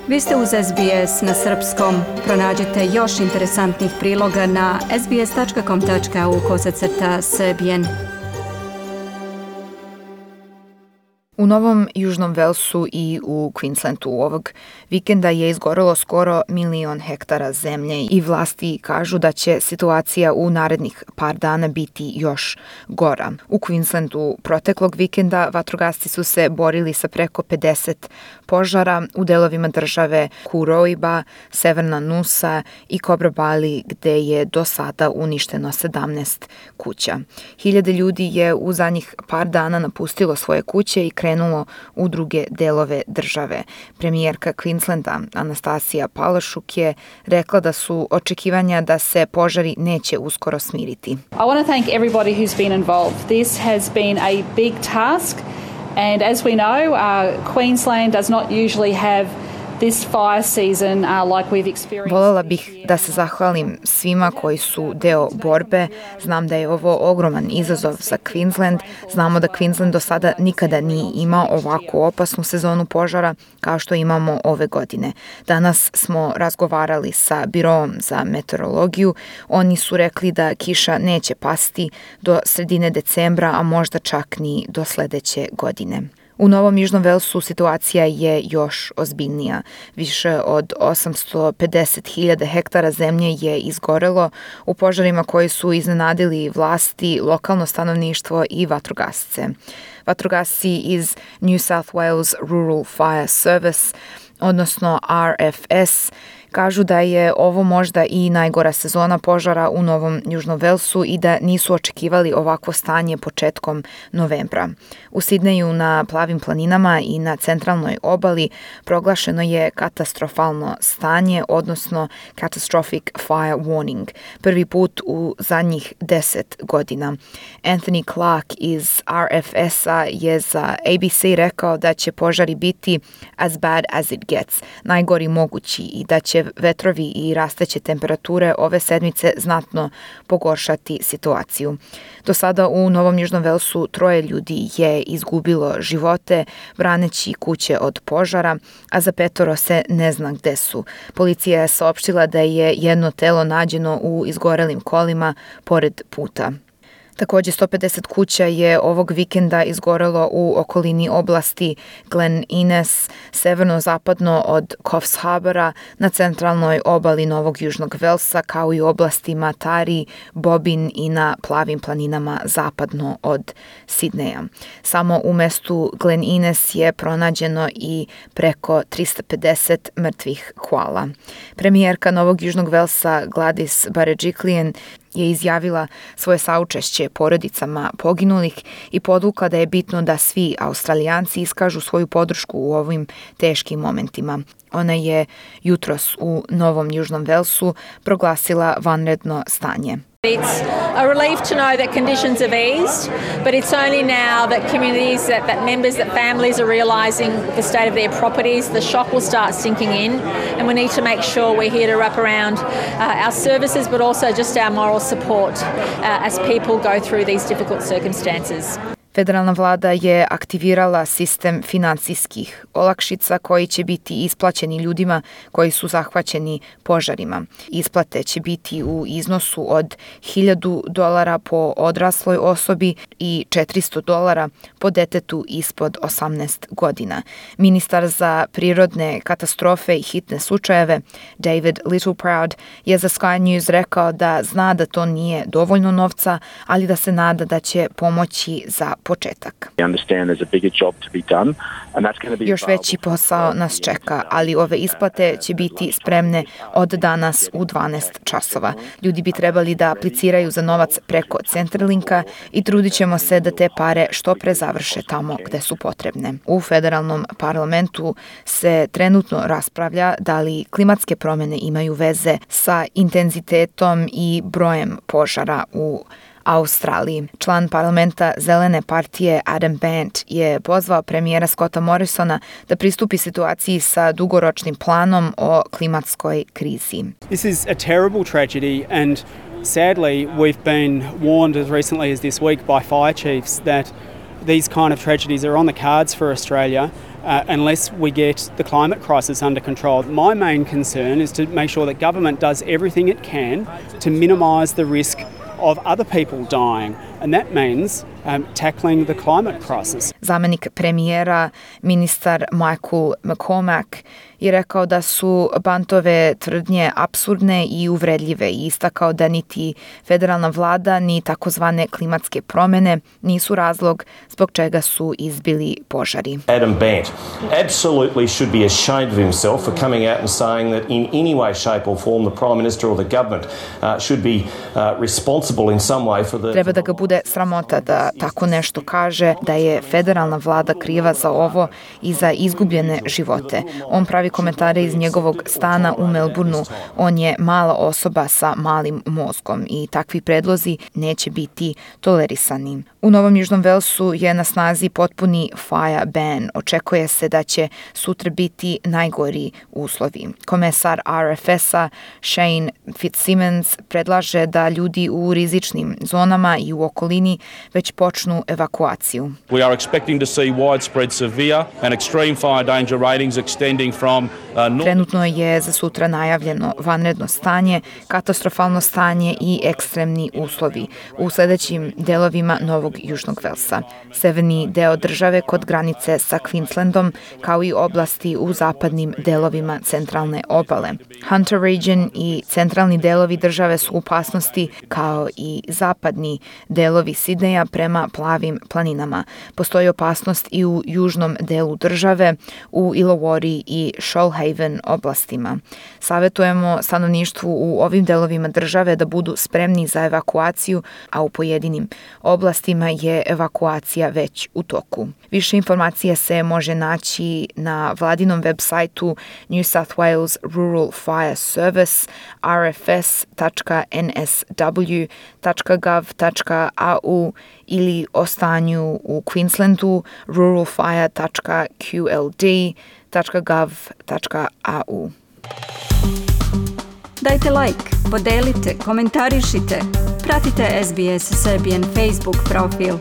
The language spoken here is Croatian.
Vi ste uz SBS na srpskom. Pronađite još interesantnih priloga na sbs.com.au/srbijen. U Novom Južnom Velsu i u Queenslandu ovog vikenda je izgorelo skoro 1 milion hektara zemlje i vlasti kažu da će situacija u narednih par dana biti još gora. U Queenslandu proteklog vikenda vatrogasci su se borili sa preko 50 požara u delovima države Kuroiba, Severna Nusa i Cobra-Bali, gde je do sada uništeno 17 kuća. Hiljade ljudi je u zadnjih par dana napustilo svoje kuće i krenulo u druge delove države. Premijerka Queenslanda Anastasija Palaszczuk je rekla da su očekivanja da se požari neće uskoro smiriti. I want to thank everybody who's been involved. This has been a big task, and as we know, Queensland does not usually have this fire season like we've experienced. Volela bih da se zahvalim svima koji su deo borbe. Znam da je ovo ogroman izazov za Queensland. Znamo da Queensland do sada nikada nije imao ovako opasnu sezonu požara kao što imamo ove godine. Danas smo razgovarali sa Biroom za meteorologiju. Oni su rekli da kiša neće pasti do sredine decembra, a možda čak ni do sledeće godine. U Novom Južnom Velsu situacija je još ozbiljnija. Više od 850.000 hektara zemlje je izgorelo u požarima koji su iznenadili vlasti, lokalno stanovništvo i vatrogasce. Vatrogasci iz New South Wales Rural Fire Service, odnosno RFS, kažu da je ovo možda i najgora sezona požara u Novom Južnom Velsu i da nisu očekivali ovakvo stanje početkom novembra. U Sidneju na Plavim planinama i na centralnoj obali proglašeno je katastrofalno stanje, odnosno Catastrophic Fire Warning, prvi put u zadnjih 10 godina. Anthony Clark iz RFS-a je za ABC rekao da će požari biti as bad as it gets, najgori mogući, i da će vetrovi i rasteće temperature ove sedmice znatno pogoršati situaciju. Do sada u Novom Južnom Velsu 3 ljudi je izgubilo živote braneći kuće od požara, a za 5 se ne zna gde su. Policija je saopštila da je jedno telo nađeno u izgorelim kolima pored puta. Takođe, 150 kuća je ovog vikenda izgorelo u okolini oblasti Glen Innes, severno-zapadno od Coffs Harbora, na centralnoj obali Novog Južnog Velsa, kao i oblastima Tari, Bobin i na Plavim planinama zapadno od Sidneja. Samo u mestu Glen Innes je pronađeno i preko 350 mrtvih koala. Premijerka Novog Južnog Velsa Gladys Berejiklian je izjavila svoje saučešće porodicama poginulih i podvukla da je bitno da svi Australijanci iskažu svoju podršku u ovim teškim momentima. Ona je jutros u Novom Južnom Velsu proglasila vanredno stanje. It's a relief to know that conditions have eased, but it's only now that communities, that members, that families are realising the state of their properties. The shock will start sinking in, and we need to make sure we're here to wrap around our services, but also just our moral support as people go through these difficult circumstances. Federalna vlada je aktivirala sistem finansijskih olakšica koji će biti isplaćeni ljudima koji su zahvaćeni požarima. Isplate će biti u iznosu od $1.000 po odrasloj osobi i $400 po detetu ispod 18 godina. Ministar za prirodne katastrofe i hitne slučajeve David Littleproud je za Sky News rekao da zna da to nije dovoljno novca, ali da se nada da će pomoći za početak. Još veći posao nas čeka, ali ove isplate će biti spremne od danas u 12 časova. Ljudi bi trebali da apliciraju za novac preko Centerlinka i trudit ćemo se da te pare što pre završe tamo gde su potrebne. U federalnom parlamentu se trenutno raspravlja da li klimatske promene imaju veze sa intenzitetom i brojem požara u Australiji. Član parlamenta Zelene partije Adam Bant je pozvao premijera Scotta Morrisona da pristupi situaciji sa dugoročnim planom o klimatskoj krizi. This is a terrible tragedy, and sadly we've been warned as recently as this week by fire chiefs that these kind of tragedies are on the cards for Australia unless we get the climate crisis under control. My main concern is to make sure that government does everything it can to minimise the risk of other people dying, and that means tackling the climate crisis. Zamenik premijera, ministar Michael McCormack, je rekao da su Bantove tvrdnje apsurdne i uvredljive i istakao da niti federalna vlada ni takozvane klimatske promjene nisu razlog zbog čega su izbili požari. Adam Bant absolutely should be ashamed of himself for coming out and saying that in any way, shape or form the Prime Minister or the government should be responsible in some way for the... Treba da ga bude sramota da tako nešto kaže, da je federalna vlada kriva za ovo i za izgubljene živote. On pravi komentare iz njegovog stana u Melbourneu. On je mala osoba sa malim mozgom i takvi predlozi neće biti tolerisani. U Novom Južnom Velsu je na snazi potpuni fire ban. Očekuje se da će sutra biti najgori uslovi. Komesar RFS-a Shane Fitzsimmons predlaže da ljudi u rizičnim zonama i u okolini već počnu evakuaciju. We are expecting to see widespread severe and extreme fire danger ratings extending from Trenutno je za sutra najavljeno vanredno stanje, katastrofalno stanje i ekstremni uslovi u sljedećim delovima Novog Južnog Velsa. Severni deo države kod granice sa Queenslandom, kao i oblasti u zapadnim delovima centralne obale. Hunter Region i centralni delovi države su u opasnosti, kao i zapadni delovi Sidneja prema plavim planinama. Postoji opasnost i u južnom delu države, u Illawarra i Shoalhaven oblastima. Savjetujemo stanovništvu u ovim delovima države da budu spremni za evakuaciju, a u pojedinim oblastima je evakuacija već u toku. Više informacija se može naći na vladinom web sajtu New South Wales Rural Fire Service rfs.nsw.gov.au ili o stanju u Queenslandu ruralfire.qld.gov.au. Dajte like, podelite, komentarišite. Pratite SBS Serbian Facebook profil.